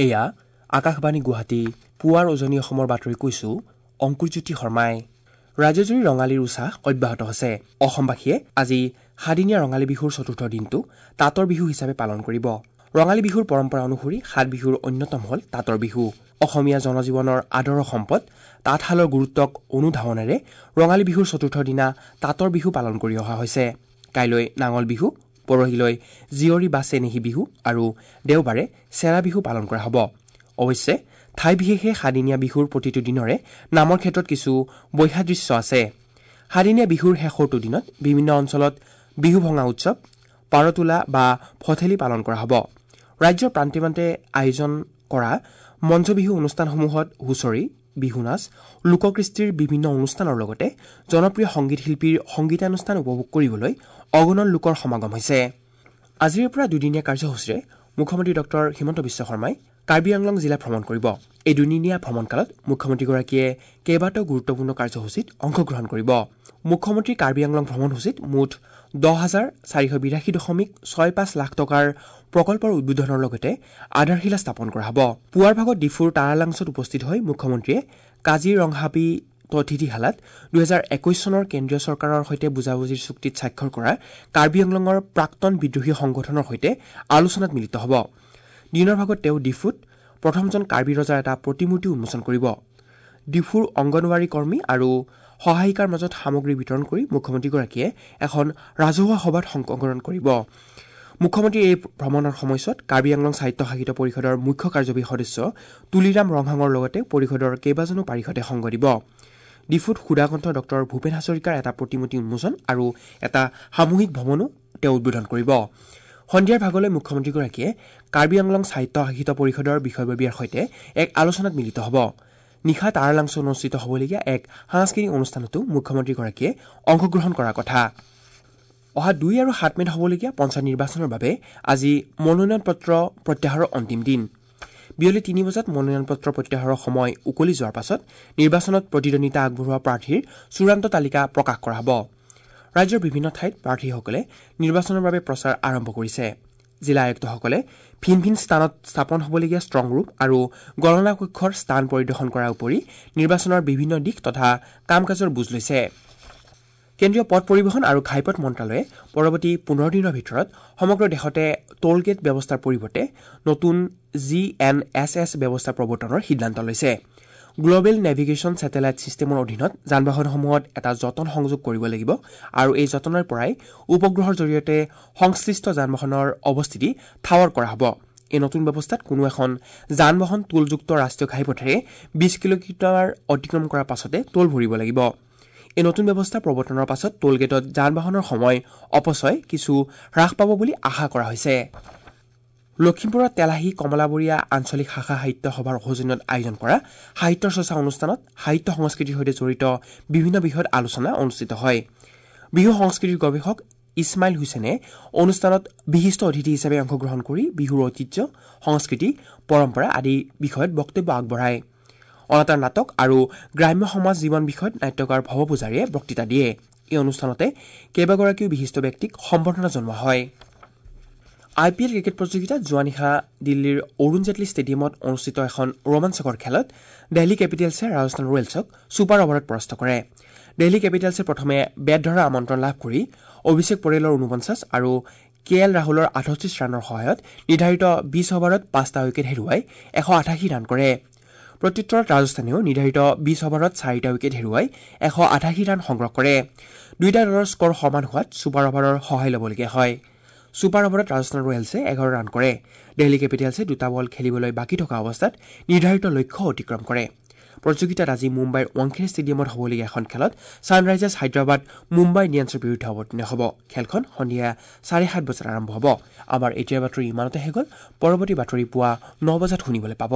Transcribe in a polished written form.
এয়া আকাশবাণী গুৱাহাটী। পুৱাৰ উজনি অসমৰ বাতৰি কৈছো অংকুৰজ্যোতি শৰ্মাই। ৰাজ্যজুৰি ৰঙালীৰ উৎসাহ অব্যাহত আছে। অসমবাসীয়ে আজি সাদিনীয়া ৰঙালী বিহুৰ চতুৰ্থ দিনটো তাঁতৰ বিহু হিচাপে পালন কৰিব। ৰঙালী বিহুৰ পৰম্পৰা অনুসৰি সাত বিহুৰ অন্যতম হ'ল তাঁতৰ বিহু। অসমীয়া জনজীৱনৰ আদৰৰ সম্পদ তাঁতশালৰ গুৰুত্বক অনুধাৱনেৰে ৰঙালী বিহুৰ চতুৰ্থ দিনা তাঁতৰ বিহু পালন কৰি অহা হৈছে। কাইলৈ নাঙল বিহু, পৰহিলৈ জীয়ৰী বা চেনেহী বিহু আৰু দেওবাৰে চেৰা বিহু পালন কৰা হ'ব। অৱশ্যে ঠাই বিশেষে সাদিনীয়া বিহুৰ প্ৰতিটো দিনৰে নামৰ ক্ষেত্ৰত কিছু বৈসাদৃশ্য আছে। সাদিনীয়া বিহুৰ শেষৰটো দিনত বিভিন্ন অঞ্চলত বিহু ভঙা উৎসৱ, পাৰতোলা বা ভঠেলি পালন কৰা হ'ব। ৰাজ্যৰ প্ৰান্তে প্ৰান্তে আয়োজন কৰা মঞ্চ বিহু অনুষ্ঠানসমূহত হুঁচৰি, বিহু নাচ, লোককৃষ্টিৰ বিভিন্ন অনুষ্ঠানৰ লগতে জনপ্ৰিয় সংগীত শিল্পীৰ সংগীতানুষ্ঠান উপভোগ কৰিবলৈ অগণন লোকৰ সমাগম হৈছে। আজিৰে পৰা দুদিনীয়া কাৰ্যসূচীৰে মুখ্যমন্ত্ৰী ডক্টৰ হিমন্ত বিশ্ব শৰ্মাই কাৰ্বি আংলং জিলা ভ্ৰমণ কৰিব। এই দুদিনীয়া ভ্ৰমণকালত মুখ্যমন্ত্ৰীগৰাকীয়ে কেইবাটাও গুৰুত্বপূৰ্ণ কাৰ্যসূচীত অংশগ্ৰহণ কৰিব। মুখ্যমন্ত্ৰীৰ কাৰ্বি আংলং ভ্ৰমণসূচীত মুঠ 10,482.65 লাখ টকাৰ প্ৰকল্পৰ উদ্বোধনৰ লগতে আধাৰশিলা স্থাপন কৰা হ'ব। পুৱাৰ ভাগত ডিফুৰ তাৰালাংছত উপস্থিত হৈ মুখ্যমন্ত্ৰীয়ে কাজিৰংহাবি অতিথিশালাত 2021 চনৰ কেন্দ্ৰীয় চৰকাৰৰ সৈতে বুজাবুজিৰ চুক্তিত স্বাক্ষৰ কৰা কাৰ্বি আংলঙৰ প্ৰাক্তন বিদ্ৰোহী সংগঠনৰ সৈতে আলোচনাত মিলিত হ'ব। দিনৰ ভাগত তেওঁ ডিফুত প্ৰথমজন কাৰ্বি ৰজাৰ এটা প্ৰতিমূৰ্তি উন্মোচন কৰিব। ডিফুৰ অংগনৱাড়ী কৰ্মী আৰু সহায়িকাৰ মাজত সামগ্ৰী বিতৰণ কৰি মুখ্যমন্ত্ৰীগৰাকীয়ে এখন ৰাজহুৱা সভাত অংশগ্ৰহণ কৰিব। মুখ্যমন্ত্ৰীৰ এই ভ্ৰমণৰ সময়ছোৱাত কাৰ্বি আংলং স্বায়ত্তশাসিত পৰিষদৰ মুখ্য কাৰ্যবাহী সদস্য তুলিৰাম ৰংহাঙৰ লগতে পৰিষদৰ কেইবাজনো পাৰিষদে সংগ দিব। ডিফুত সুধাকণ্ঠ ডক্টৰ ভূপেন হাজৰিকাৰ এটা প্ৰতিমূৰ্তি উন্মোচন আৰু এটা সামূহিক ভৱনো তেওঁ উদ্বোধন কৰিব। সন্ধিয়াৰ ভাগলৈ মুখ্যমন্ত্ৰীগৰাকীয়ে কাৰ্বি আংলং স্বায়ত্তশাসিত পৰিষদৰ বিষয়ববীয়াৰ সৈতে এক আলোচনাত মিলিত হ'ব। নিশা তাৰালাংছত অনুষ্ঠিত হ'বলগীয়া এক সাংস্কৃতিক অনুষ্ঠানতো মুখ্যমন্ত্ৰীগৰাকীয়ে অংশগ্ৰহণ কৰাৰ কথা। অহা 2 আৰু 7 মে'ত হ'বলগীয়া পঞ্চায়ত নিৰ্বাচনৰ বাবে আজি মনোনয়ন পত্ৰ প্ৰত্যাহাৰৰ অন্তিম দিন। বিয়লি 3 বজাত মনোনয়ন পত্ৰ প্ৰত্যাহাৰৰ সময় উকলি যোৱাৰ পাছত নিৰ্বাচনত প্ৰতিদ্বন্দ্বিতা আগবঢ়োৱা প্ৰাৰ্থীৰ চূড়ান্ত তালিকা প্ৰকাশ কৰা হ'ব। ৰাজ্যৰ বিভিন্ন ঠাইত প্ৰাৰ্থীসকলে নিৰ্বাচনৰ বাবে প্ৰচাৰ আৰম্ভ কৰিছে। জিলা আয়ুক্তসকলে ভিন ভিন স্থানত স্থাপন হ'বলগীয়া ষ্ট্ৰং ৰুম আৰু গণনা কক্ষৰ স্থান পৰিদৰ্শন কৰাৰ উপৰি নিৰ্বাচনৰ বিভিন্ন দিশ তথা কাম কাজৰ বুজ লৈছে। কেন্দ্ৰীয় পথ পৰিবহণ আৰু ঘাইপথ মন্ত্ৰালয়ে পৰৱৰ্তী 15 দিনৰ ভিতৰত সমগ্ৰ দেশতে টোলগেট ব্যৱস্থাৰ পৰিৱৰ্তে নতুন GNSS ব্যৱস্থা প্ৰৱৰ্তনৰ সিদ্ধান্ত লৈছে। গ্ল'বেল নেভিগেশ্যন ছেটেলাইট ছিষ্টেমৰ অধীনত যান বাহনসমূহত এটা যতন সংযোগ কৰিব লাগিব আৰু এই যতনৰ পৰাই উপগ্ৰহৰ জৰিয়তে সংশ্লিষ্ট যান বাহনৰ অৱস্থিতি ঠাৱৰ কৰা হ'ব। এই নতুন ব্যৱস্থাত কোনো এখন যান বাহন টোলযুক্ত ৰাষ্ট্ৰীয় ঘাইপথেৰে 20 কিলোমিটাৰ অতিক্ৰম কৰাৰ পাছতে টোল ভৰিব লাগিব। এই নতুন ব্যৱস্থা প্ৰৱৰ্তনৰ পাছত টোলগেটত যান বাহনৰ সময় অপচয় কিছু হ্ৰাস পাব বুলি আশা কৰা হৈছে। লখিমপুৰৰ তেলাহী কমলাবৰীয়া আঞ্চলিক শাখা সাহিত্য সভাৰ সৌজন্যত আয়োজন কৰা সাহিত্য চৰ্চা অনুষ্ঠানত সাহিত্য সংস্কৃতিৰ সৈতে জড়িত বিভিন্ন বিষয়ত আলোচনা অনুষ্ঠিত হয়। বিহু সংস্কৃতিৰ গৱেষক ইছমাইল হুছেইনে অনুষ্ঠানত বিশিষ্ট অতিথি হিচাপে অংশগ্ৰহণ কৰি বিহুৰ ঐতিহ্য, সংস্কৃতি, পৰম্পৰা আদি বিষয়ত বক্তব্য আগবঢ়ায়। অনাতাঁৰ নাটক আৰু গ্ৰাম্য সমাজ জীৱন বিষয়ত নাট্যকাৰ ভৱ পূজাৰীয়ে বক্তৃতা দিয়ে। এই অনুষ্ঠানতে কেইবাগৰাকীও বিশিষ্ট ব্যক্তিক সম্বৰ্ধনা জনোৱা হয়। IPL cricket প্ৰতিযোগিতাত যোৱা নিশা দিল্লীৰ অৰুণ জেটলী ষ্টেডিয়ামত অনুষ্ঠিত এখন ৰোমাঞ্চকৰ খেলত দিল্লী কেপিটেলছে ৰাজস্থান ৰয়েলছক ছুপাৰ অভাৰত পৰাস্ত কৰে। দিল্লী কেপিটেলছে প্ৰথমে বেট ধৰাৰ আমন্ত্ৰণ লাভ কৰি অভিষেক পৰেলৰ 49 আৰু কে এল ৰাহুলৰ 38 ৰানৰ সহায়ত নিৰ্ধাৰিত 20 অভাৰত 5টা উইকেট হেৰুৱাই 188 ৰান কৰে। প্ৰত্যুত্তৰত ৰাজস্থানেও নিৰ্ধাৰিত 20 অভাৰত 4টা উইকেট হেৰুৱাই 188 ৰান সংগ্ৰহ কৰে। দুয়োটা দলৰ স্ক'ৰ সমান হোৱাত ছুপাৰ অভাৰৰ সহায় ল'বলগীয়া হয়। ছুপাৰ অভাৰত ৰাজস্থান ৰয়েলছে 11 ৰান কৰে। দিল্লী কেপিটেলছে দুটা বল খেলিবলৈ বাকী থকা অৱস্থাত নিৰ্ধাৰিত লক্ষ্য অতিক্ৰম কৰে। প্ৰতিযোগিতাত আজি মুম্বাইৰ ৱাংখেড়ে ষ্টেডিয়ামত হ'বলগীয়া এখন খেলত ছানৰাইজাৰ্ছ হায়দৰাবাদ মুম্বাই ইণ্ডিয়ানছৰ বিৰুদ্ধে অৱতীৰ্ণ হ'ব। খেলখন সন্ধিয়া 7:30 বজাত আৰম্ভ হ'ব। আমাৰ এতিয়াৰ বাতৰি ইমানতে শেষ হ'ল। পৰৱৰ্তী বাতৰি পুৱা 9 বজাত শুনিবলৈ পাব।